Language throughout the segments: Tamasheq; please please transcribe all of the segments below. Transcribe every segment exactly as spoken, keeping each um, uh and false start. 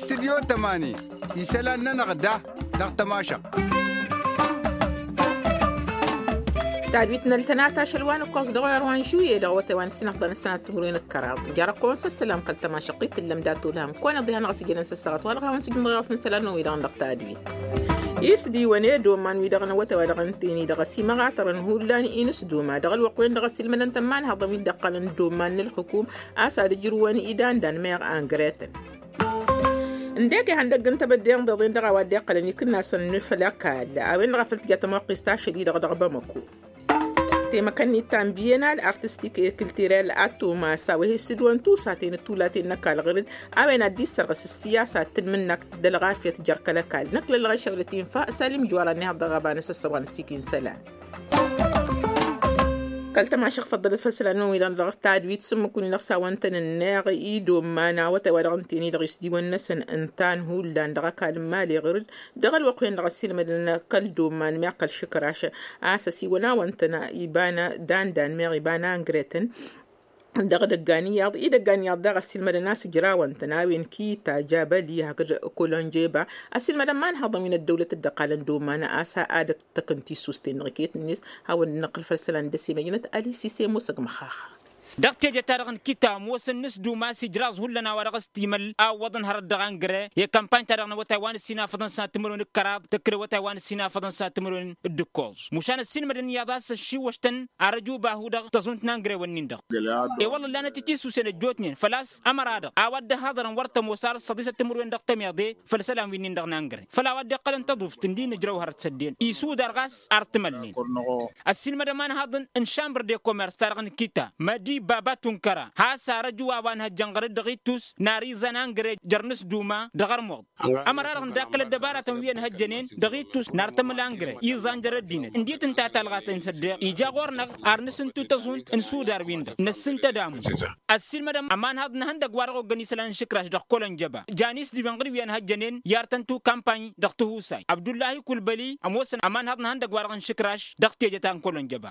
Studyo tămani isălan-nănăɣ da dăɣ-tămašăɣt. Tadwit n-ăltănat ašăl wa n-ǝkkoẓ dăɣ-oyăr wa n-žuye dăɣ-awătay wa n-ǝssin afḍăn ǝssanat timǝrwen d-kăraḍ. Jarăt kăwăn-săssălam kăl-tămašăɣt-i t-tǝllăm datulhăm kăwăn-iḍǝy hanăɣ-ăsjănen s-ăssăɣăt wa dăɣ-hawăn-sǝjǝmnăɣ i-wa fǝnsălan-năwăn-wi-dăɣ n-dăɣ tadwit. Isdiwăn i-dd-omman-wi-dăɣ n-awătay wa dăɣ-ǝntǝyni dăɣ-ăsimăɣatărăn hullan i-inǝsduma dăɣ-ălwăqq-wen-dăɣ ăsilmădăn tămmanhăḍăn wi dd-ǝqqălăn dd-omman n-ǝlxǝkum a-s ad-ǝjrǝwăn idandan meɣ angretăn. Ǝndek ihăndăgg n-tebădde n-iḍeḍen dăɣ-a-wa dd-iqqălăn ikǝnnasăn n-făll-ăkall a-wen-dăɣ a făl tǝja tămoqqist ašăl-i-dăɣ dăɣ-bamăko. Temăkăn-in ta n-biyenal artistik e-kǝltirel a tomas a-wa he-ǝssǝdwăn tusaten d-tulaten n-ăkall ɣǝr-dd a-wen ad-dd-issărɣǝs ǝssiyasa d-tǝlmǝnnakt d-ălɣafyăt jer-kăl-ăkall năkk lăllăɣ ešăɣlăt infa. Sălim jora n-ehăḍ dăɣ-ăba n-asăssăɣ wa n-ăssikin isălan. Kăl-tămašăɣ făḍḍălăt făll-isălan-năwăn wi-dăɣ dăɣ-tadwit s-ǝmmǝk-win-dăɣ s-a-wăn tăn-ǝnneɣ i-dd-omman awătay wa dăɣ-ǝntǝyni dăɣ-isdiwăn-năsăn ǝnta n-hullan dăɣ-ăkall n-mali ɣǝr-dd dăɣ-ălwăqq-wen-dăɣ ăssiilmădăn kăl-dd-omman meɣ kăl-išǝkraš a-s ăsiwăn a-wăn tăn-iba n-dandan meɣ iba n-angretăn. Dăɣ-idăggan iyyăḍ idăggan iyyăḍ daɣ ăssiilmădăn a-s ǝjrawăn-tăn a-wen kita jabăli hakd kolonjeba ăssiilmădăn ma n-haḍăn wi n-ăddăwlăt dd-ăqqalăn d-omman a-s ad-ăttăkăn tissust-en-dăɣ iket-net. Hawăn-dd-năqqǝl făll-isălan d-ăsimăjnăt ălisise musăg măxaxa. Dăɣ-teje-ta-dăɣ n-kita ămoosăn n-s d-umas ijraẓ hullan a-wa dăɣ-s timăl a ǝwwăḍăn hărăt dăɣ-angre i-kampany-ta-dăɣ n-awătay wa n-ǝssin afăḍăn s-ad-timǝrwen d-kăraḍ tǝkkǝl awătay wa n-ǝssin afăḍăn s-ad-timǝrwen d-ǝkkoẓ. Mušan ăssiilmădăn iyyăḍ a-s ăššiwwăš-tăn ar ăjubahu dăɣ-tăẓunt n-angre-wăn-in-dăɣ. E-wălla ǝllanăt itissusen ăjjootnen făl-a-s ămăra-dăɣ a-wa dd-ăhhaḍărăn wăr tămoos ar ǝssăḍisăt timǝrwen dăɣ-temyaḍe făll-isălan wi-nin-dăɣ n-angre făll-a-wa dd-iqqălăn tăḍuft ǝndin ǝjrăw hărăt s-ăddin isudar ɣas ar t-mălnen. Ăssiilmădăn ma n-haḍăn n-šambăr de komers-ta-dăɣ n-kita mădi baba tunkăra has-arăju a-wa n-hăjjăn ɣăr-dd dăɣ-ittus n-ar iẓan angre jer-nǝsduma dăɣ-armuḍ. Ămăra-dăɣ n-dakkăl ăddăbaratăn wi ănhăjjănen dăɣ-ittus n-ar tămǝl angre iẓan jer-ăddinăt ǝndiyăt ǝnta talɣat-en s-ăddeɣ ija ɣur-năɣ ar nǝsǝntu tăẓunt n-isudar-win-dăɣ năssǝn tădamu. Ăssiilmădăm ămanhaḍ n-ehăndăgg wa dăɣ-oggăn isălan n-išǝkraš dăɣ-kălănjăba janis d-iben ɣǝr-wi ănhăjjănen i-ar tăn-tu kampany dăɣ-tihusay abdullahi kulbăli ămoosăn ămanhaḍ n-ehăndăgg wa dăɣ-nǝšǝkraš dăɣ-teje ta n-kălănjăba.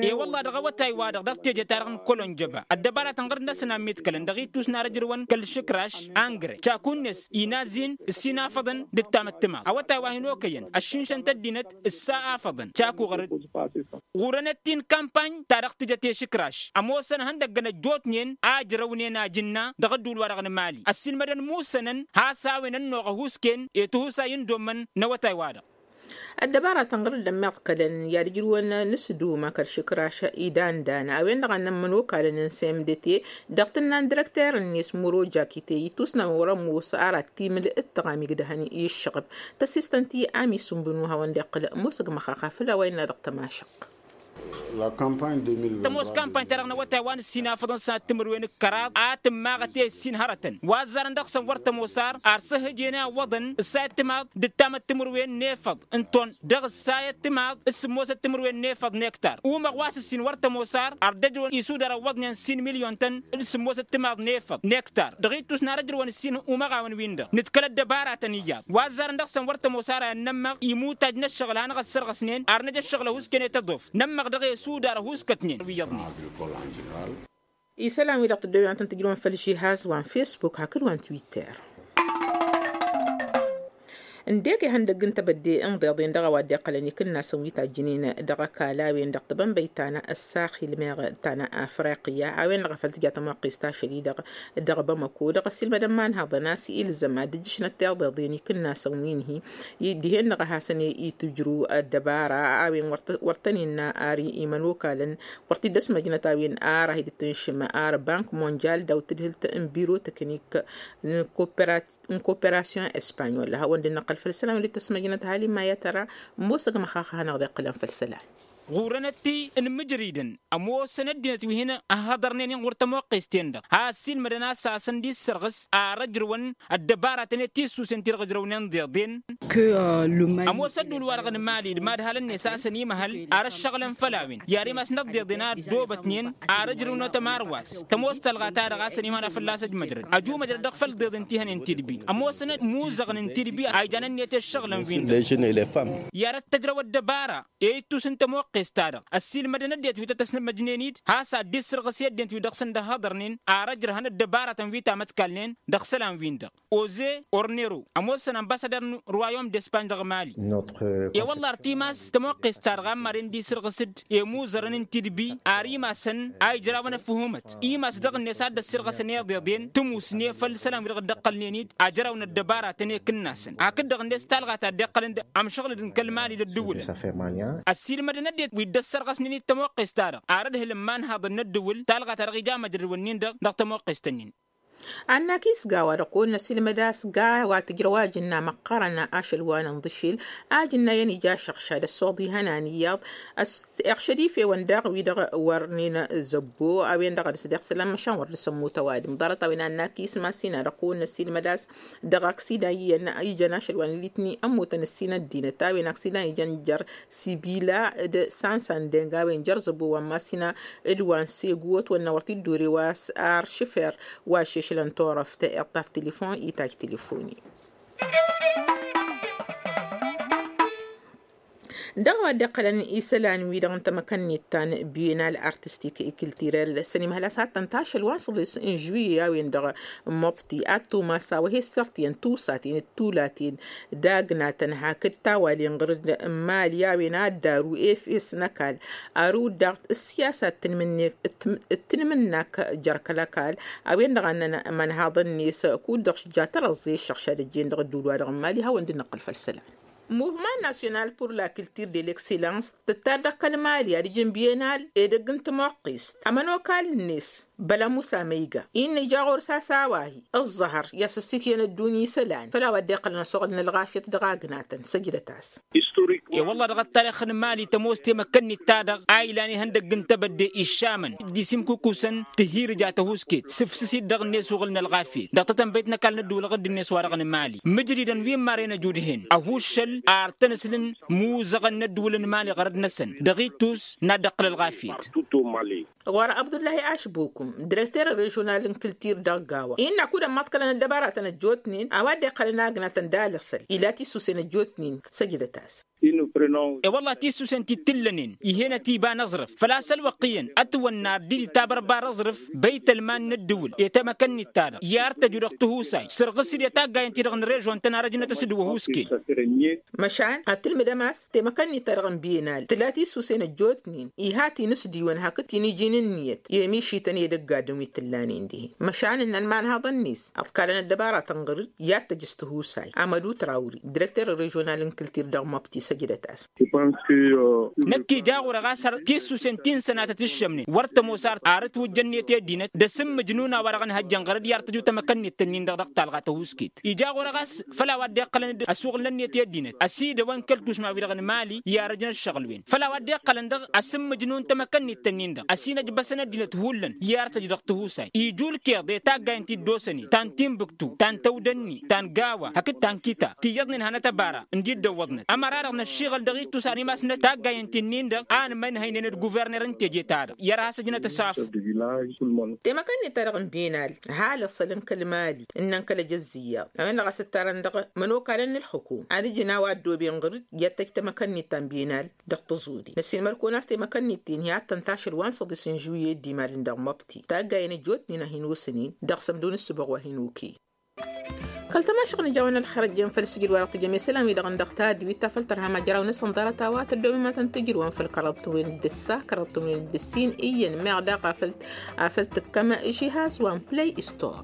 E-wălla-hi dăɣ-awătay-wa-dăɣ dăɣ-teje-ta-dăɣ n-kălănjăba ăddăbaratăn ɣǝr-năsăn a ǝmmiḍkălăn dăɣ-ittus n-ar ǝjrǝwăn kăl-išǝkraš angre caku-net inazin ǝssin afăḍăn d-ǝttam ăttǝmaḍ awătay wa hin-okăyăn ăššinšăn-t ăddinăt ǝssa afăḍăn caku ɣăr-dd. Ɣur-enăt-in kampany ta dăɣ-tǝjăt i-išǝkraš ămoosăn ihăndăggăn ăjjootnen a ǝjrăwnen ajǝnna dăɣ-ădduul-wa-dăɣ n-emali ăssiilmădăn musănăn has a-wen ănnuɣ ăhuusken i-tihusay n-dd-ommăn n-awătay-wa-dăɣ. Ăddăbaratăn ɣǝr-dd ămmiḍkălăn i-ad-ǝjrǝwăn n-asǝduma kăl-išǝkraš idandan a-wen-dăɣ a ǝnnăn imănokalăn n-semdete dăɣ-tǝnna n-dirăkter-net muro jakite ittusnăn wăr-ămoos ar ad-t-imǝl d-tăɣamig d-ehăn i-ǝššăɣăb tăsistăn-t i-ami s-ǝnbǝnu hawăn-dd-iqqǝl musǝg măxaxa făll-a-wa innă dăɣ-tămašăɣt. Tămoos kampany-ta-dăɣ n-awătay wa n-ǝssin afăḍăn s-ad-timǝrwen d-kăraḍ a tǝmmaɣăt i-ǝssin hărătăn wa ăzzarăn dăɣ-săn wăr tămoos ar ar s-ăhhǝjene a ǝwwăḍăn ǝssayăt timaḍ d-ǝttamăt timǝrwen n-efăḍ n-ton dăɣ-ǝssayăt timaḍ s-sǝmmosăt timǝrwen n-efăḍ n-ektar umăɣ wa s-ǝssin wăr tămoos ar ar dd-ăjrăwăn isudar ăwwăḍnen s-in milyon-tăn d-sǝmmosăt timaḍ n-efăḍ n-ektar dăɣ-ittus n-ar ăjrăwăn ǝssin umăɣawăn-win-dăɣ nǝdkăl ăddăbaratăn iyyăḍ wa ăzzarăn dăɣ-săn wăr tămoos ar a ănnămmăɣ imutaj n-ǝššăɣǝl hanăɣ-ăssărɣăsnen ar năj ăššăɣǝl ăhuusken i-tăḍoft nămmăɣ dăɣ-e sudar ăhuuskătnen wi iyyăḍnen. Isălan-wi-dăɣ tăddoben ad-tăn-tǝjrǝwăn făll-žihaz wa n-fesbuk hakd wa n-twitter. Ǝndek ihăndăgg n-tebădde n-iḍeḍen dăɣ-a-wa dd-iqqălăn ikǝnnasăn wi tajjǝnen dăɣ-ăkall a-wen-dăɣ tăbănbăyt ta n-ăssaxil meɣ ta n-afriqya a-wen-dăɣ a făl tǝja tămoqqest ašăl-i-dăɣ dăɣ-bamăko dăɣ-ăssiilmădăn ma n-haḍăn a-s ilzăm ad-ǝjjǝšnăt tiḍeḍen ikǝnnasăn wi n-hi-i dihen-dăɣ a hasăn-e-itǝjru ăddăbara a-wen wăr tăn-innă ar imănokalăn wăr t-dd-ăsmăjnăt a-wen ara hi-dd-tǝnšǝm ar bank monjal daw-tǝdhǝlt n-biro tăknik n-koperasyon espanyol hawăn-dd-năqqăl făll-isălan wăr dd-tăsmăjnăt hali ma i-ad-tăra. Ămoosăg măxaxa a hanăɣ-dd-iqqǝlăn făll-isălan. Ɣur-enăt-i n-imǝjridăn ămoosăn ăddinăt wi hin-ăhhăḍărnen inɣur tămoqqest-en-dăɣ a ăssiilmădăn a-s hasăn-dd-issărɣǝs ar ăjrăwăn ăddăbaratăn i-tissusen ti-dăɣ ǝjrăwnen d-iḍen. Ămoos ădduul-wa-dăɣ n-mali d-imadhalăn-net a-s ănimăhăl ar ăššăɣǝlăn făll-a-wen i-ad-imasnăt d-iḍen a ăddoobătnen ar ǝjrǝwnăt ămarwas tămoos tălɣa-ta-dăɣ a-s ănimăhăl ad-fălla-s ăjmăjrăd ăjumăjrăd dăɣ-făll-d iḍen ti hănen tidbi ămoosăn imuzăɣăn n-tidbi a ijan ǝnniyăt i-ǝššăɣǝlăn-win-dăɣ i-ad-ăttăjrăw ăddăbara i-ittus n-tămoqqe. tămoqqest-ta-dăɣ ăssiilmădăn ăddinăt wi tăt-ăsnămăjnen-dd has-ad-dd-issǝrɣǝs i-ăddinăt wi dăɣ-săn dăhhăḍărnen ar ăjrăhăn ăddăbaratăn wi tamătkalnen dăɣ-isălan-win-dăɣ. Oze ornero ămoosăn ănbasădăr n-ruwayom d-espanj dăɣ-mali. E-wălla ar timas tămoqqest-ta-dăɣ a ǝmmaden d-isǝrɣǝs-dd i-imuzărăn n-tidbi ar imasăn a ijrawăn ăfhumăt imas dăɣ-net a dd-ăssirɣăsăn iḍeḍen tǝmusne făll-isălan wi dăɣ-dd-ǝqqălnen-dd ajrăwăn ăddăbaratăn i-kǝnnasăn hakd-dăɣ-net talɣa ta dd-iqqălăn d-amšăɣlăd n-kăl-mali d-ăddǝwǝlăn. Ăssiilmădăn ăddinăt wi dd-ăssărɣăsnen-dd tămoqqest-ta-dăɣ ar ǝdhǝl n-imanhaḍăn n-ăddǝwǝl talɣa ta dăɣ-ija măjrădwăn-in-dăɣ dăɣ-tămoqqest-nin. Ad-nakis gawa-dăɣ kăwăn-năsilmăd a-s gawa tǝjrăw ajǝnna măqqărăn ašăl wa n-inḍǝšil ajǝnna iyyăn ija ašăɣšad ăssoḍ ihănan iyyăḍ. Iɣšăd ifewăn daɣ wi-dăɣ wărnen zăbbo a-wen-dăɣ a dăɣ-s dd-iɣsǝlăn măšan wăr dăr-s ămmut ăwadǝm ḍarăt-a-wen ad-nakis masinăɣ kăwăn-năsilmăd a-s dăɣ-aksidan iyyăn ijăn ašăl wa n-litni ămmutăn ǝssin ăddinăt a-wen aksidan ijăn jer-sibila d-sansandeng a-wen jer-zăbbo wa n-masina d-wa n-segu otwănna wăr t-dd-ore wa s-ar šǝfer wa šešlăn turăft iṭṭaf tilifon itaj tilifoni. Dăɣ-a-wa dd-iqqălăn isălan-wi-dăɣ n-tamăkănnit ta n-bienal artistik i-kiltirel s-ănimhăl a-s ad-tăn-tašăl wa n-săḍis n-žuiye a-wen-dăɣ măbti ad-tumas a-wa he-ǝssărtiyăn tusaten d-tulaten d-agnatăn hakd tawalen ɣǝr-dd n-mali a-wen ad-daru efes n-ăkall arǝw-dd daɣ ǝssiyasa d-tǝnmǝnnak jer-kăl-ăkall a-wen-dăɣ a ǝnnăn imănhaḍăn-net kud-dăɣ šǝjja tărăẓẓe ǝššăɣšad ăjjeen dăɣ-ădduul-wa-dăɣ n-mali hawăn-dd-nǝqqǝl făll-isălan. Muvman national pur la kiltir de l'excellans tǝttar dăɣ-kăl-mali ad-ǝjǝn bienal edăgg n-tămoqqest ămănokal-net băla musa măyga innă ija ɣur-s a-s a-wa hi ǝẓẓăhăr i-asǝssikǝyăn ăddunya isălan făll-a-wa dd-iqqălăn ăsoɣăl n-ălɣafyăt dăɣ-agnatăn săjdăt-as. I-wălla dăɣ-ăttarix n-mali tămoos temăkkăn-nit-ta-dăɣ a ilan ihăndăgg n-tebădde iššamăn d-isimkukusăn tihirǝja tăhusket sǝfsǝs-dd dăɣ-net uɣǝl n-ălɣafyăt dăɣ-tetănbăyt n-ăkall n-ădduul ɣǝdd-net wa-dăɣ n-mali mǝjridăn wi n-marăyăn ăjudhen ăhuššăl ar tăn-ǝslǝn muzăɣăn n-ădduul n-mali ɣărăd-năsăn dăɣ-ittus n-ad-dd-ăqqǝl ălɣafyăt. Ɣur-abdullahi ašbukum direkter režional n-kǝltir dăɣ-gawa innă kud-ămmaḍkălăn ăddăbaratăn ăjjootnen a-wa dd-iqqălăn agnatăn d-alăsăl ila tisusen ăjjootnen. Săjdăt-as. I-wălla tisusen ti t-ǝllănen ih'-enăt iba n-aẓrǝf făl-a-s ălwăqq iyyăn ătwănna ar dd-itabărbar aẓrǝf băytălman n-ăddǝwǝl i-tamăkănnit-ta-dăɣ i-ar tăju dăɣ-tihusay sărɣǝs-dd i-taggayen-ti-dăɣ n-režon-tăn ar ăjnăt a-s dd-wăhusken. Măšan ad-tǝlmǝdăm a-s temăkănnit-ta-dăɣ n-bienal tǝla tisusen ăjjootnen iha tinǝsdiwăn hakd tiniji n-ǝnniyăt i-ămišităn i-edăgg adǝm wi t-ǝllanen dihen măšan ǝnnăn imanhaḍăn-net ăḍkalăn ăddăbaratăn ɣăr-dd i-ad-tăj s-tihusay amădu trawri direkter režional n-kǝltir dăɣ-măbti săjdăt-as. Năkk ija ɣur-e ɣas har tisusen ti n-sănatăt ǝššămnen wăr tămoos ar ătwǝjjănnet i-ăddinăt d-asǝmmǝjnun a-wa-dăɣ ănhăjjăn ɣăr-dd i-ar tăju tamăkănnit-tăn-in-dăɣ dăɣ-talɣa tăhuskit ija ɣur-e ɣas făll-a-wa dd-iqqălăn-dd ăsuɣǝlnănnet i-ăddinăt ăsidăwăn kăl-tušma-wi-dăɣ n-mali i-arăjnăt ǝššăɣǝl-wen făll-a-wa dd-iqqălăn dăɣ-asǝmmǝjnun tamăkănnit-tăn-in-dăɣ ăsinăjbăsăn ăddinăt hullan i-artăj dăɣ-tihusay ijulkeḍ i-taggayen ti dd-osănen ta n-tinbǝktu ta n-tăwdănni ta n-gawa hakd ta n-kita tiyyăḍnen hanăt-ăbara ǝndi dd-ăwwăḍnăt ămăra-dăɣ năššiɣăl dăɣ-ittus animas n-taggayen ti-nin-dăɣ a ănmăynhăynen d-guverner n-teje-ta-dăɣ i-ad-has-ăjnăt ăsaf. Temăkănnit-ta-dăɣ n-benal ha lăṣălăn kăl-mali ǝnnăn kăl-ejăzz iyyăḍ a-wen-dăɣ a-s ǝttarăn dăɣ-imănokalăn n-ǝlxǝkum ad-ǝjǝn a-wa ăddooben ɣăr-dd i-ad-tăj tamăkănnit ta n-benal dăɣ-tǝẓudin ăssiilmăd-kăwăn a-s temăkănnit-ten hi-ad-tăn-tašăl wa n-săḍis n-žuyyed d-imadǝn dăɣ-măbti taggayen ăjjootnen a hin-osănen dăɣ-sămdu n-ǝssǝboɣ wa hin-okăyăn. Kăl-tămašăɣt nǝjawăn ălxer ăjjeen făll-sǝjǝd wa dăɣ-tǝjăm i-isălan-wi-dăɣ n-dăɣ tadwit ta făll-tărha ma jăraw-năsăn ḍarăt a-wa tăddoobem ad-tăn-tǝjrǝwăn făll-kăraḍ tǝmwen d-ǝssa kăraḍ tǝmwen d-ǝssin iyyăn meɣ daɣ afăl tǝkkăm žihaz wa n-play store.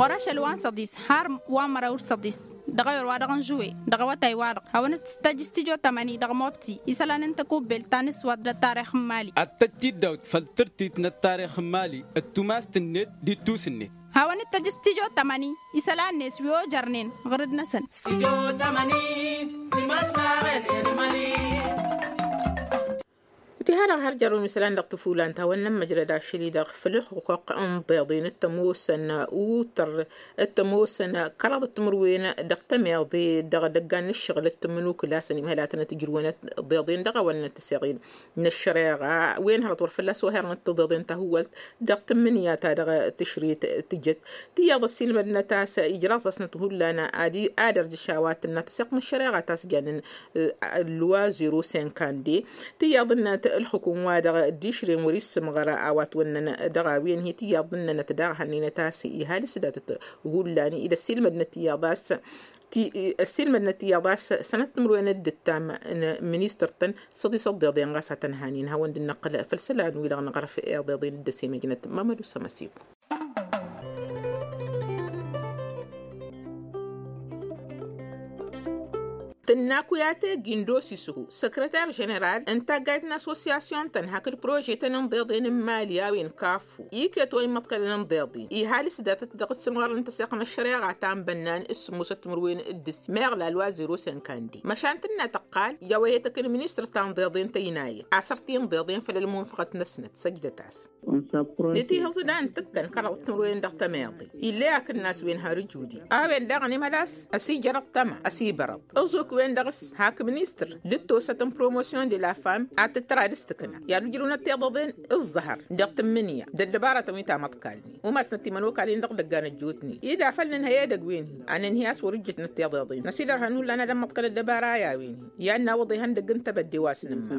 Ɣur-ašăl wa n-săḍis har wa n-măraw d-săḍis dăɣ-ayǝr wa dăɣ-nǝžwe dăɣ-awătay-wa-dăɣ hawăn-dd-tăj s-tijo tămăni dăɣ-mobti isălan n-takubelt ta n-ǝswat d-ăttarix n-mali. Ad-tăj-t-dd-awt făll-tǝrtit n-ăttarix n-mali d-tumast-net d-ittus-net. Hawăn-dd-tăj s-tijo tămăni isălan-net wi ojărnen ɣǝr-dd-năsăn. Iha-dăɣ har jărrun isălan dăɣ-tǝfulan ta wănnăn măjrăd ašăl-i-dăɣ făll-ǝlxuqq n-iḍeḍen d-tămoosăn utăr d-tămoosăn kăraḍăt timǝrwen dăɣ-tămeḍe dăɣ-idăggan n-ǝššăɣǝl d-tǝmmǝnukǝla a-s ănimhăl ad-tănăt-ǝjrǝwăn iḍeḍen dăɣ-a-wa n-inăt tiseɣin n-ăššăreɣa wen hărăt wăr fălla-s ohărnăt tiḍeḍen ta hǝwwălt dăɣ-tǝmmǝnǝya ta dăɣ-tǝšret tǝjăt tiyyăḍ ăssiilmădnăt a-s ijraẓ-asnăt hullan ad-ărjǝš a-wa tǝnna tăseɣt n-ăššăreɣa ta s-jannăn lwa zero senkande tiyyăḍ-năt ǝlxǝkum wa dăɣ-dd-išrem wăr-issǝmɣăr a-wa t-wănnăn dăɣ-a-wen hi tiyyăḍ-nănăt daɣ hannăynăt a-s iha l-isdatăt hullan i-dd-ăssiilmădnăt tiyyăḍ a-s ăssiilmădnăt tiyyăḍ a-s sănăt timǝrwen d-ǝttam n-ministăr-tăn săḍisăḍ d-iḍen ɣas ad-tăn-hanin hawăn-dd-năqqǝl făll-isălan-wi-dăɣ n-aɣrǝf iḍeḍen dd-ăsimăjnăt mamădu sămăsiku. Tǝnna kuyate gindos isǝhu săkrăter ženeral n-taggayt n-asosyasyun-tăn hakd prožetăn n-iḍeḍen n-imali a-wen kafu iket wa immăḍkălăn n-iḍeḍen ihal s-datăt dăɣ-s sǝmɣărăn tăseɣt n-ăššăreɣa ta n-bănnan s-sǝmmosăt timǝrwen d-ǝssin meɣ lalwa zero senkande măšan tǝnna tăqqal i-a-wa he-tăkk n-ministăr ta n-iḍeḍen tăynayăt asăr ti n-iḍeḍen făll-ălmunfăɣăt-năsnăt săjdăt-as. Nǝtihǝẓ d-a n-tǝkkăn kăraḍăt timǝrwen dăɣ-tămeḍe ill'-e akǝnnas-wen har ǝjudi a-wen daɣ ănimhăl a-s ăsijărăḍ tăma ăsibărăḍ ǝẓuk-wen-dăɣ s-hak ministăr d-ǝttosăt n-promosyon de la femme ad-tǝttăra d-s-tǝkna i-ad-ujrǝwnăt tiḍeḍen ǝẓẓăhăr dăɣ-tǝmmǝnǝya d-ăddăbarătăn wi tamăḍkal-nin umasnăt imanokal-in dăɣ-idăggan ăjjootnen ed afăl nǝnhăy edăgg-wen-hi ad-nǝnhǝy a-s wăr-ǝjjǝtnăt tiḍeḍen năsidărhăn hullan ad-ămmăḍkăl ăddăbara i-a-wen-hi i-ad-nawǝḍ ihăndăgg n-tebădde wa s-nǝmma.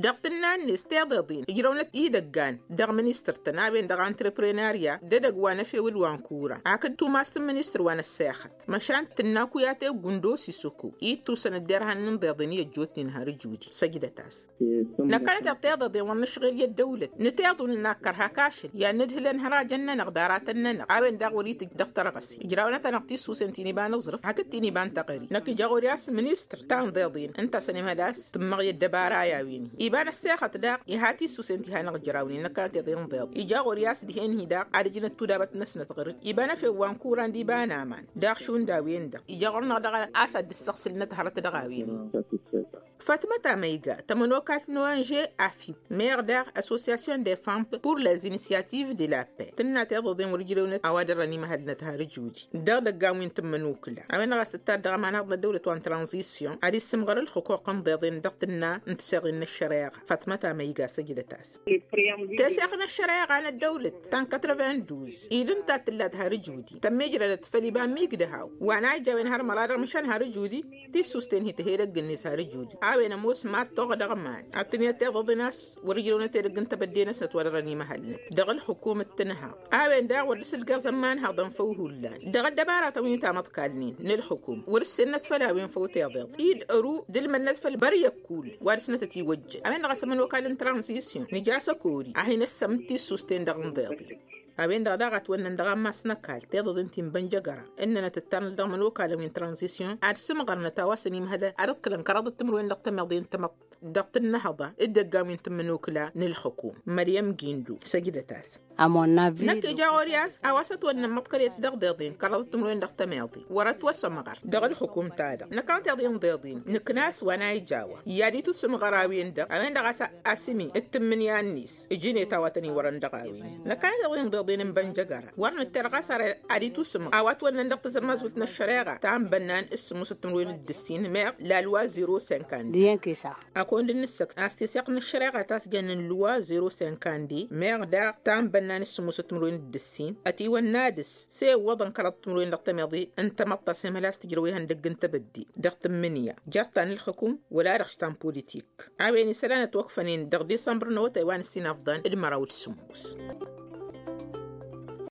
Dăɣ-tǝnna-net tiḍeḍen ǝjrăwnăt idăggan dăɣ-ministăr-tăn a-wen-dăɣ entreprenarya d-edăgg wa n-efew d-wa n-kura hakd tumast n-ministăr wa n-ăssexăt măšan tǝnna kuyate gundos isǝku i-tusăn ădderhan n-inḍeḍen i-ăjjootnen har ǝjudi săjdăt-as. Năkkănăteɣ tiḍeḍen wăr nǝšɣel i-ăddăwlăt nǝteḍun n-akkăr hak ašăl i-ad-nǝdhǝlăn hărajăn-nănăɣ d-aratăn-nănăɣ a-wen daɣ wăr-itǝjj dăɣ-tărɣăse ijrawnăt-anăɣ tissusen ti n-iba n-aẓrǝf hakd ti n-iba n-taɣări năkk ija ɣur-i a-s ministăr ta n-iḍeḍen ǝnta a-s ănimhăl a-s tǝmmăɣ i-ăddăbara i-a-wen-hi iba n-ăssexăt daɣ iha tissusen ti hanăɣ-ǝjrawnen năkkănăteḍ i-inḍeḍ ija ɣur-i a-s dihen-hi daɣ ad-ǝjnăt tudabăt-năsnăt ɣǝr-dd iba n-efew wa n-kuran d-iba n-aman daɣ šund a-wen-dăɣ ija ɣur-năɣ daɣ a-s ad-dd-ǝssăɣsǝlnăt hărăt dăɣ-a-wen-hi. Fatmăt amăyga tămănokalt n-ong afib meɣ daɣ association de femmes pour les initiatives de la paix tǝnna tiḍeḍen wăr-ǝjrewnăt a-wa dăr-ănimhălnăt har ǝjudi dăɣ-idăggan wi n-tǝmmǝnukǝla a-wen-dăɣ a-s tǝttad dăɣ-ămanhăḍ n-ăddăwlăt wa n-tranzisyon ad-issǝmɣăr ǝlxǝquq n-iḍeḍen dăɣ-tǝnna n-tiseɣin n-ăššăreɣa fatmăt amăyga săjdăt-as. Teseɣt n-ăššăreɣa n-ăddăwlăt ta n-katravenduz i-dd ǝnta a t-tǝllat har ǝjudi tămmijrădăt făll-iba n-imigdăhaw wa n-a ija a-wen har măra dăɣ-măšan har ǝjudi tissusten hi tăhed ăgg-net har ǝjudi a-wen ămoos mad-toɣ dăɣ-iman ad-tǝnǝyăt tiḍeḍen a-s wăr-ǝjrăwnăt edăgg n-tebădde-năsnăt wa dăr-ănimăhălnăt dăɣ-ălxukum d-tǝnhaḍ a-wen daɣ wăr dd-sǝlgăẓ ămanhaḍăn făw hullan dăɣ-ăddăbaratăn wi tamăḍkalnen n-ǝlxǝkum wăr-ǝssennăt făll-a-wen făw tiḍeḍ-i d-ăru d-ǝlmănnăt făll-băryăkul wa dăɣ-snătăt iwăjjăn a-wen-dăɣ a-s ămănokal n-tranzisyon nǝja s-ăkori ad-hin-ăssămǝd tissusten dăɣ-inḍeḍen. A-wen-dăɣ daɣ a ătwănnăn dăɣ-ammas n-ăkall tiḍeḍen ti n-bănjăgăra ǝnnănăt ǝttanăt dăɣ-imănokalăn wi n-tranzisyon ad-sǝmɣărnăt a-wa s-ănimhălăn ad-ǝḍkǝlăn kăraḍăt timǝrwen dăɣ-tămeḍe n-tamăḍt dăɣ-tǝnnăhăḍa d-ăggan wi n-tǝmmǝnukǝla n-ǝlxǝkum. Măryăm gindo săjdăt-as. Năkk ija ɣur-i a-s a-wa s-ătwănnăn măḍkălet dăɣ-deḍen kăraḍăt timǝrwen dăɣ-tămeḍe wăr-ătwăsămɣăr dăɣ-ǝlxǝkum-ta-dăɣ năkk a n-tiḍen deḍen nǝkna a-s wa n-a ija a-wa i-ad-itusǝmɣăr a-wen-dăɣ a-wen-dăɣ a-s asǝmi d-tǝmmǝnǝya-net ǝjǝnet a-wa tăn-iwărăn dăɣ-a-wen. Năkk a n-tiḍen deḍen n-bănjăgăra wăr nǝtter ɣas ar ad-itusǝmɣăr a-wa ătwănnăn dăɣ-tazărmazult n-ăššăreɣa ta n-bănnan s-sǝmmosăt timǝrwen d-ǝssin meɣ lalwa zero senkand. Akăwăn-dd-nǝssăkt a-s tiseɣt n-ăššăreɣa ta s-jănnen lwa zero senkande meɣ daɣ ta n-bănnan s-sǝmmosăt timǝrwen d-ǝssin ătiwănna dăr-s s-e ǝwwăḍăn kăraḍăt timǝrwen dăɣ-tămeḍe n-tamăḍt a-s emăl a-s tǝjrăw ihăndăgg n-tebădde dăɣ-tǝmmǝnǝya jer-ta n-ǝlxǝkum wăla dăɣ-š ta n-politik. A-wen isălan ătwăkfănen dăɣ-disămbăr n-awătay wa n-ǝssin afḍăn d-măraw d-sǝmmos.